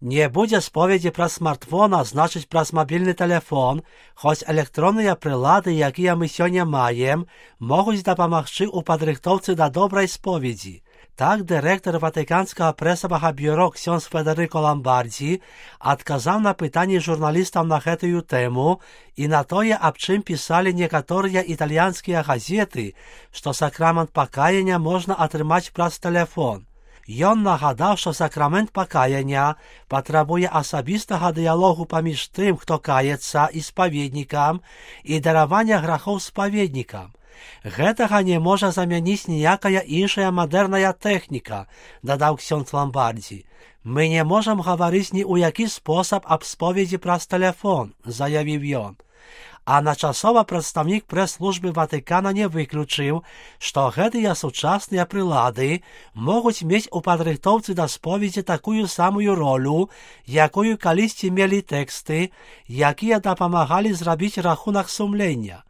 Не будзе споведзі праз смартфона, значыць праз мабільны тэлефон, хоць электронныя прылады, якія мы сёння маем, могуць дапамагчы ў падрыхтоўцы да добрай споведзі. Так, дырэктар Ватыканскага прэсавага бюро ксёндз Федэрыка Ламбардзі адказаў на пытанні журналістаў на гэтую тэму і на тое, аб чым пісалі некаторыя італьянскія газеты, што сакрамент пакаяння можна атрымаць праз тэлефон. Ён нагадаў, што сакрамент пакаяння патрабуе асабістага дыялогу паміж тым, хто каецца, і спаведнікам, і даравання грахоў спаведнікам. Гэтага не можа замяніць ніякая іншая мадэрная тэхніка, дадаў ксёндз Ламбардзі. Мы не можам гаварыць ні ў які спосаб аб споведзі праз тэлефон, заявіў ён. А начасова прадстаўнік прэс-службы Ватыкана не выключыў, што гэтыя сучасныя прылады могуць мець у падрыхтоўцы да споведзі такую самую ролю, якую калісьці мелі тэксты, якія дапамагалі зрабіць рахунак сумлення.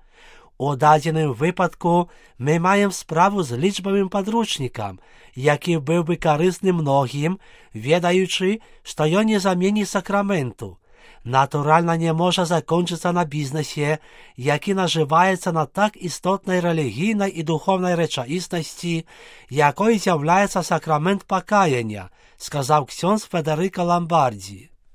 У дадзеным выпадку мы маем справу з лічбавым падручнікам, які быў бы карысны многім, ведаючы, што ён не заменіць сакраменту. Натуральна не можа закончыцца на бізнесе, які нажываецца на так істотнай рэлігійнай і духовнай рэчаіснасці, якой з'яўляецца сакрамент пакаяння, сказаў ксёндз Федэрыка Ламбардзі.